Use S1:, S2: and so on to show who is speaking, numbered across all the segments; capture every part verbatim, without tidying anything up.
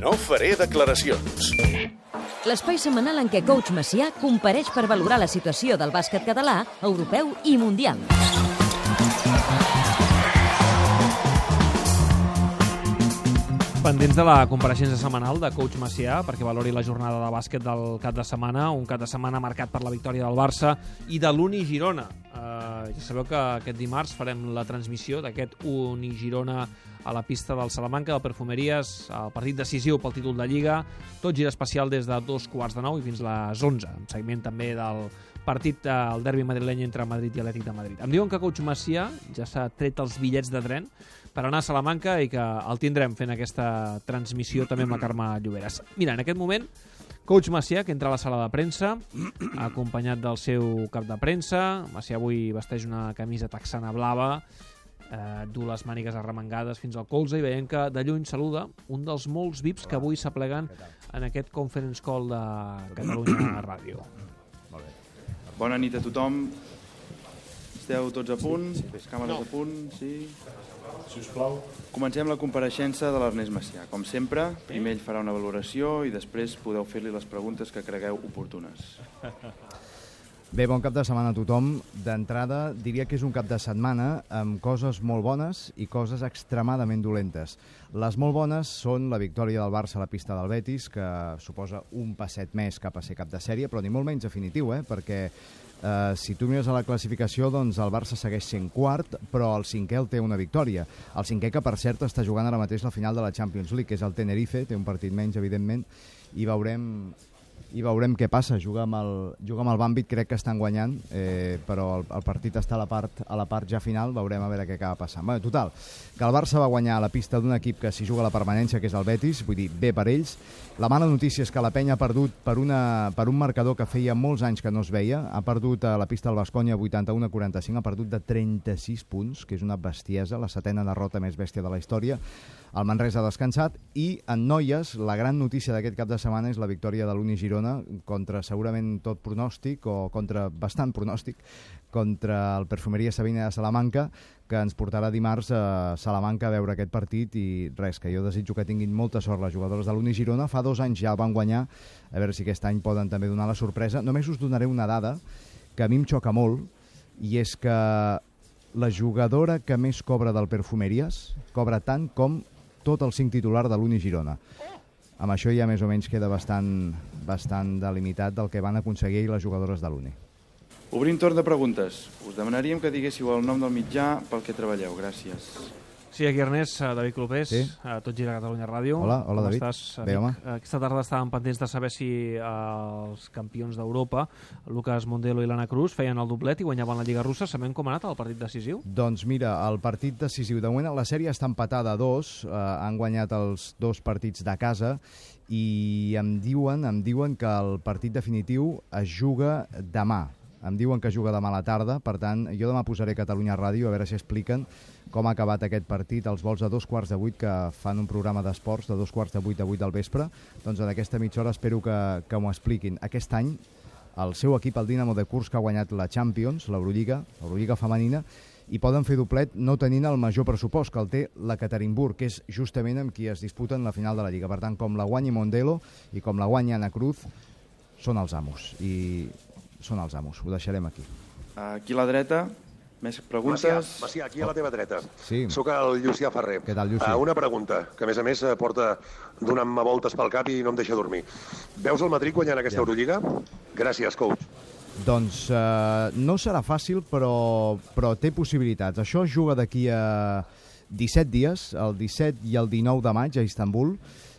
S1: No faré declaracions.
S2: L'espai setmanal en què Coach Macià compareix per valorar la situació del bàsquet català, europeu i mundial.
S3: Pendents de la compareixença setmanal de Coach Macià perquè valori la jornada de bàsquet del cap de setmana, un cap de setmana marcat per la victòria del Barça i de l'Uni Girona. Uh, ja sabeu que aquest dimarts farem la transmissió d'aquest Uni Girona a la pista del Salamanca, del Perfumeries, el partit decisiu pel títol de Lliga, tot gira especial des de dos quarts de nou i fins les onze, amb seguiment també del partit del derbi madrileny entre Madrid i Atlètic de Madrid. Em diuen que Coach Macià ja s'ha tret els bitllets de tren per anar a Salamanca i que el tindrem fent aquesta transmissió també amb la Carme Lloberes. Mira, en aquest moment, Coach Macià, que entra a la sala de premsa, acompanyat del seu cap de premsa. Macià avui vesteix una camisa texana blava, eh, du les mànigues arremangades fins al colze i veiem que de lluny saluda un dels molts V I Ps que avui s'apleguen en aquest conference call de Catalunya Ràdio.
S4: Bona nit a tothom. Esteu tots a punt? Les càmeres a punt? Sí? Sisplau. Comencem la compareixença de l'Ernest Macià. Com sempre, primer ell farà una valoració i després podeu fer-li les preguntes que cregueu oportunes.
S5: Bé, bon cap de setmana a tothom. D'entrada, diria que és un cap de setmana amb coses molt bones i coses extremadament dolentes. Les molt bones són la victòria del Barça a la pista del Betis, que suposa un passet més cap a ser cap de sèrie, però ni molt menys definitiu, eh? perquè eh, si tu mires a la classificació, doncs el Barça segueix sent quart, però el cinquè el té una victòria. El cinquè, que per cert està jugant ara mateix la final de la Champions League, que és el Tenerife, té un partit menys, evidentment, i veurem... i veurem què passa. Juga amb el, juga amb el Bàmbit, crec que estan guanyant, eh, però el, el partit està a la, part, a la part ja final, veurem a veure què acaba passant. Bé, total, que el Barça va guanyar a la pista d'un equip que s'hi juga la permanència, que és el Betis, vull dir, bé per ells. La mala notícia és que la Penya ha perdut per, una, per un marcador que feia molts anys que no es veia, ha perdut a la pista del Baskonia vuitanta-u a quaranta-cinc, ha perdut de trenta-sis punts, que és una bestiesa, la setena derrota més bèstia de la història. El Manresa ha descansat i en noies la gran notícia d'aquest cap de setmana és la victòria de l'Uni Girona contra segurament tot pronòstic o contra bastant pronòstic contra el Perfumeria Sabina de Salamanca, que ens portarà dimarts a Salamanca a veure aquest partit i res, que jo desitjo que tinguin molta sort les jugadores de l'Uni Girona. Fa dos anys ja el van guanyar, a veure si aquest any poden també donar la sorpresa. Només us donaré una dada que a mi em xoca molt i és que la jugadora que més cobra del Perfumerias cobra tant com tot el cinc titular de l'Uni Girona. Amb això ja més o menys queda bastant, bastant delimitat del que van aconseguir les jugadores de l'Uni.
S4: Obrim torn de preguntes. Us demanaríem que diguéssiu el nom del mitjà pel que treballeu. Gràcies.
S3: Sí, aquí Ernest, David Clopés,
S5: sí?
S3: Tot gira a Catalunya Ràdio.
S5: Hola, hola
S3: Com
S5: David.
S3: Estàs,
S5: bé, home.
S3: Aquesta tarda estàvem pendents de saber si els campions d'Europa, Lucas Mondelo i l'Anna Cruz, feien el doblet i guanyaven la Lliga Russa. Sabem com ha anat el partit decisiu?
S5: Doncs mira, el partit decisiu, de moment la sèrie està empatada a dos, eh, han guanyat els dos partits de casa i em diuen, em diuen que el partit definitiu es juga demà. Em diuen que juga demà a la tarda, per tant, jo demà posaré Catalunya Ràdio a veure si expliquen com ha acabat aquest partit, els vols a dos quarts de vuit, que fan un programa d'esports de dos quarts de vuit a vuit del vespre. Doncs en aquesta mitja hora espero que, que m'ho expliquin. Aquest any, el seu equip, el Dinamo de Kursk, ha guanyat la Champions, l'Eurolliga, l'Eurolliga femenina, i poden fer doblet no tenint el major pressupost, que el té la Ekaterinburg, que és justament amb qui es disputen la final de la Lliga. Per tant, com la guanyi Mondelo i com la guanyi Anna Cruz, són els amos. I són els amos, ho deixarem aquí.
S4: Aquí a la dreta, més preguntes?
S6: Macià, Macià, aquí a la teva dreta.
S5: Sí.
S6: Soc el Llucià Ferrer.
S5: Què tal, Llucià?
S6: Uh, una pregunta, que a més a més porta donant-me voltes pel cap i no em deixa dormir. Veus el Madrid guanyant aquesta ja. Eurolliga? Gràcies, coach.
S5: Doncs uh, no serà fàcil, però, però té possibilitats. Això es juga d'aquí a disset dies, el disset i el dinou de maig a Istanbul,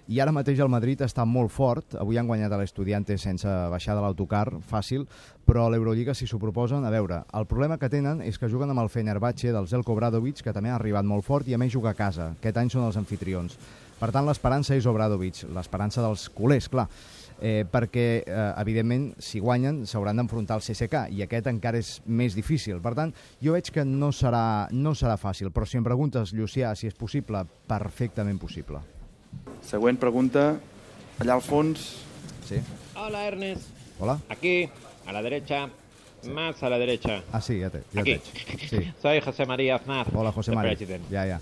S5: i ara mateix el Madrid està molt fort. Avui han guanyat a l'Estudiantes sense baixar de l'autocar, fàcil, però a l'Eurolliga, si s'ho proposen, a veure, el problema que tenen és que juguen amb el Fenerbahce del Zeljko Obradovic, que també ha arribat molt fort i a més juga a casa. Aquest any són els anfitrions. Per tant, l'esperança és Obradovic, l'esperança dels culers, clar, eh, perquè, eh, evidentment, si guanyen, s'hauran d'enfrontar al C S K, i aquest encara és més difícil. Per tant, jo veig que no serà, no serà fàcil, però si em preguntes, Llucià, si és possible, perfectament possible.
S4: Següent pregunta, allà al fons.
S5: Sí.
S7: Hola, Ernest.
S5: Hola.
S7: Aquí, a la derecha, sí. Más a la derecha.
S5: Ah, sí, ya te, ya
S7: Aquí.
S5: te sí.
S7: Soy José María Aznar.
S5: Hola, José María.
S7: President.
S5: Ya, ya.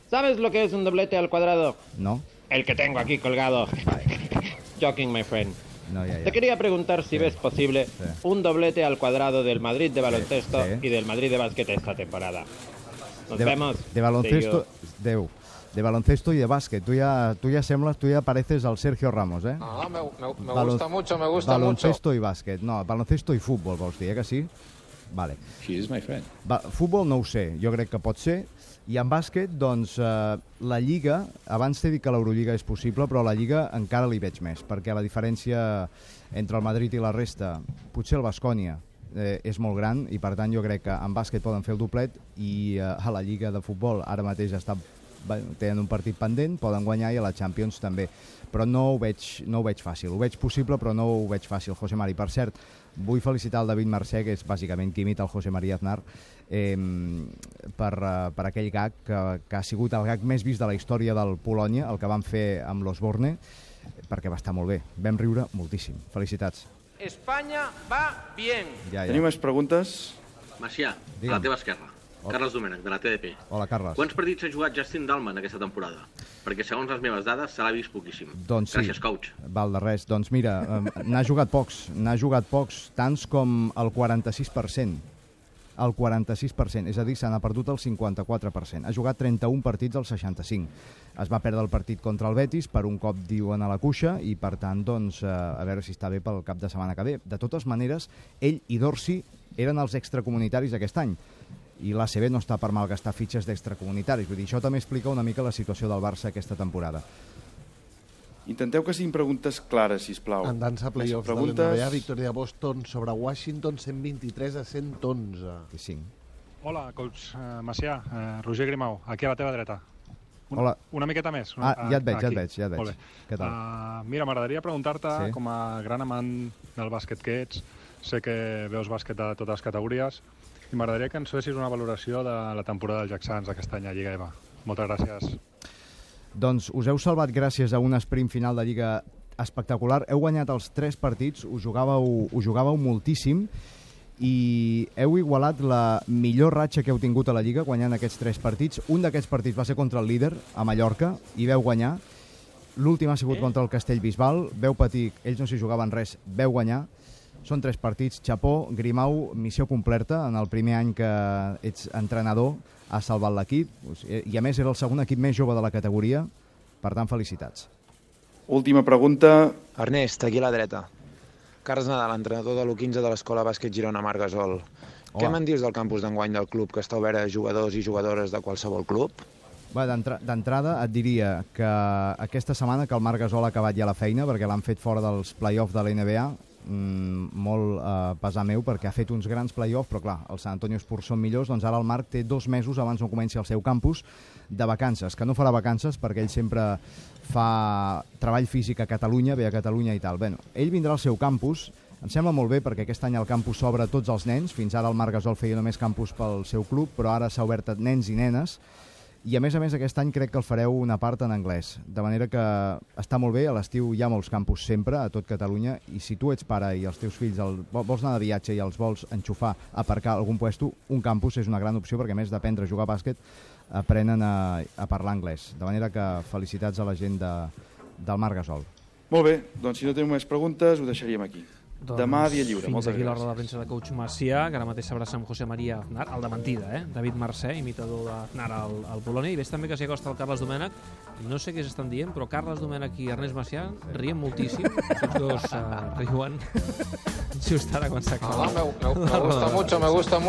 S7: ¿Sabes lo que es un doblete al cuadrado?
S5: No.
S7: el que tengo aquí colgado. Joking, my friend.
S5: No, ya, ya.
S7: Te quería preguntar si
S5: Sí.
S7: ves posible
S5: Sí.
S7: un doblete al cuadrado del Madrid de baloncesto
S5: Sí.
S7: y del Madrid de básquet esta temporada. Nos
S5: de,
S7: vemos.
S5: de baloncesto,
S7: See you.
S5: Déu, de baloncesto y de básquet. Tú ya, tú ya sembles, tú ya pareces al Sergio Ramos, ¿eh?
S8: Ah, me, me, me
S5: Balon-
S8: gusta mucho, me gusta
S5: baloncesto
S8: mucho.
S5: i bàsquet. No, baloncesto i futbol, vols dir, eh, que sí? Vale.
S9: She is my friend.
S5: Va, futbol no ho sé, jo crec que pot ser. I en bàsquet, doncs, eh, la Lliga, abans t'he dit que l'Eurolliga és possible, però la Lliga encara li veig més, perquè la diferència entre el Madrid i la resta, potser el Baskonia, eh, és molt gran, i per tant jo crec que en bàsquet poden fer el doblet, i eh, a la Lliga de futbol ara mateix està, tenen un partit pendent, poden guanyar, i a la Champions també. Però no ho veig, no ho veig fàcil. Ho veig possible, però no ho veig fàcil, José Mari. Per cert, vull felicitar el David Mercè, que és bàsicament qui imita el José María Aznar, eh, per, uh, per aquell gag que, que ha sigut el gag més vist de la història del Polònia, el que van fer amb l'Osborne, perquè va estar molt bé. Vam riure moltíssim. Felicitats.
S10: Espanya va bien.
S5: Ja, ja.
S4: Tenim més preguntes?
S11: Macià,
S5: Digue'm.
S11: a la teva esquerra. Carles Domènech, de la T D P.
S5: Hola, Carles.
S11: Quants partits ha jugat Justin Dalman aquesta temporada? Perquè segons les meves dades se l'ha vist poquíssim.
S5: Doncs sí.
S11: Gràcies, coach.
S5: Val de res. Doncs mira, eh, n'ha jugat pocs. N'ha jugat pocs, tants com el quaranta-sis per cent. El quaranta-sis per cent, és a dir, se n'ha perdut el cinquanta-quatre per cent. Ha jugat trenta-un partits al seixanta-cinc. Es va perdre el partit contra el Betis, per un cop diuen a la cuixa, i per tant, doncs, eh, a veure si està bé pel cap de setmana que ve. De totes maneres, ell i Dorsi eren els extracomunitaris aquest any, i l'A C B no està per malgastar fitxes d'extracomunitaris. Vull dir, això també explica una mica la situació del Barça aquesta temporada.
S4: Intenteu que siguin preguntes clares, sisplau.
S12: En dansa playoffs
S4: Preguntes...
S12: de l'N B A, victòria de Boston sobre Washington, cent vint-i-tres a cent onze.
S5: I cinc.
S13: Hola, coach uh, Macià, uh, Roger Grimau, aquí a la teva dreta. Una,
S5: Hola.
S13: Una miqueta més. Una,
S5: Ah, ja et veig, ja et
S13: aquí.
S5: veig, ja et veig.
S13: Molt bé.
S5: Què tal?
S13: Uh, mira, m'agradaria preguntar-te,
S5: Sí.
S13: com a gran amant del bàsquet que ets, sé que veus bàsquet de totes les categories, i m'agradaria que ens fessis una valoració de la temporada del Jack Sants aquest any a Lliga E V A. Moltes gràcies.
S5: Doncs us heu salvat gràcies a un sprint final de Lliga espectacular. Heu guanyat els tres partits, ho jugàveu, ho jugàveu moltíssim, i heu igualat la millor ratxa que heu tingut a la Lliga guanyant aquests tres partits. Un d'aquests partits va ser contra el líder, a Mallorca, i veu guanyar. L'últim ha sigut contra el Castellbisbal. Veu patir, ells no s'hi jugaven res, veu guanyar. Són tres partits. Chapó, Grimau, missió completa. En el primer any que ets entrenador has salvat l'equip, i a més era el segon equip més jove de la categoria. Per tant, felicitats.
S4: Última pregunta.
S14: Ernest, aquí a la dreta. Carles Nadal, entrenador de l'U quinze de l'Escola Bàsquet Girona Marc Gasol. Què me'n dius del campus d'enguany del club, que està obert a jugadors i jugadores de qualsevol club?
S5: Bé, d'entrada et diria que aquesta setmana que el Marc Gasol ha acabat ja la feina, perquè l'han fet fora dels play-offs de l'N B A, mm, molt eh, pesar meu, perquè ha fet uns grans play-offs, però clar, els Sant Antonio Spurs són millors, doncs ara el Marc té dos mesos abans no comenci el seu campus de vacances, que no farà vacances perquè ell sempre fa treball físic a Catalunya, ve a Catalunya i tal. Bé, ell vindrà al seu campus, em sembla molt bé perquè aquest any el campus s'obre a tots els nens, fins ara el Marc Gasol feia només campus pel seu club, però ara s'ha obert a nens i nenes, i a més a més aquest any crec que el fareu una part en anglès, de manera que està molt bé. A l'estiu hi ha molts campus sempre a tot Catalunya, i si tu ets pare i els teus fills el, vols anar de viatge i els vols enxufar, aparcar a algun puesto, un campus és una gran opció, perquè a més d'aprendre a jugar a bàsquet aprenen a, a parlar anglès, de manera que felicitats a la gent de, del Marc Gasol.
S4: Molt bé, doncs si no tenim més preguntes ho deixaríem aquí.
S3: Doncs
S4: Demà dia lliure.
S3: Fins
S4: Moltes
S3: aquí la
S4: gràcies.
S3: roda de premsa de coach Macià, que ara mateix s'abraça amb José María Aznar, el de mentida, eh? David Mercè, imitador d'Aznar al, al Polònia, i ves també que s'hi acosta el Carles Domènech. No sé què s'estan dient, però Carles Domènech i Ernest Macià riem moltíssim. Tots dos uh, riuen just ara quan s'acaba.
S8: Ah, me, me, me gusta mucho, me gusta mucho.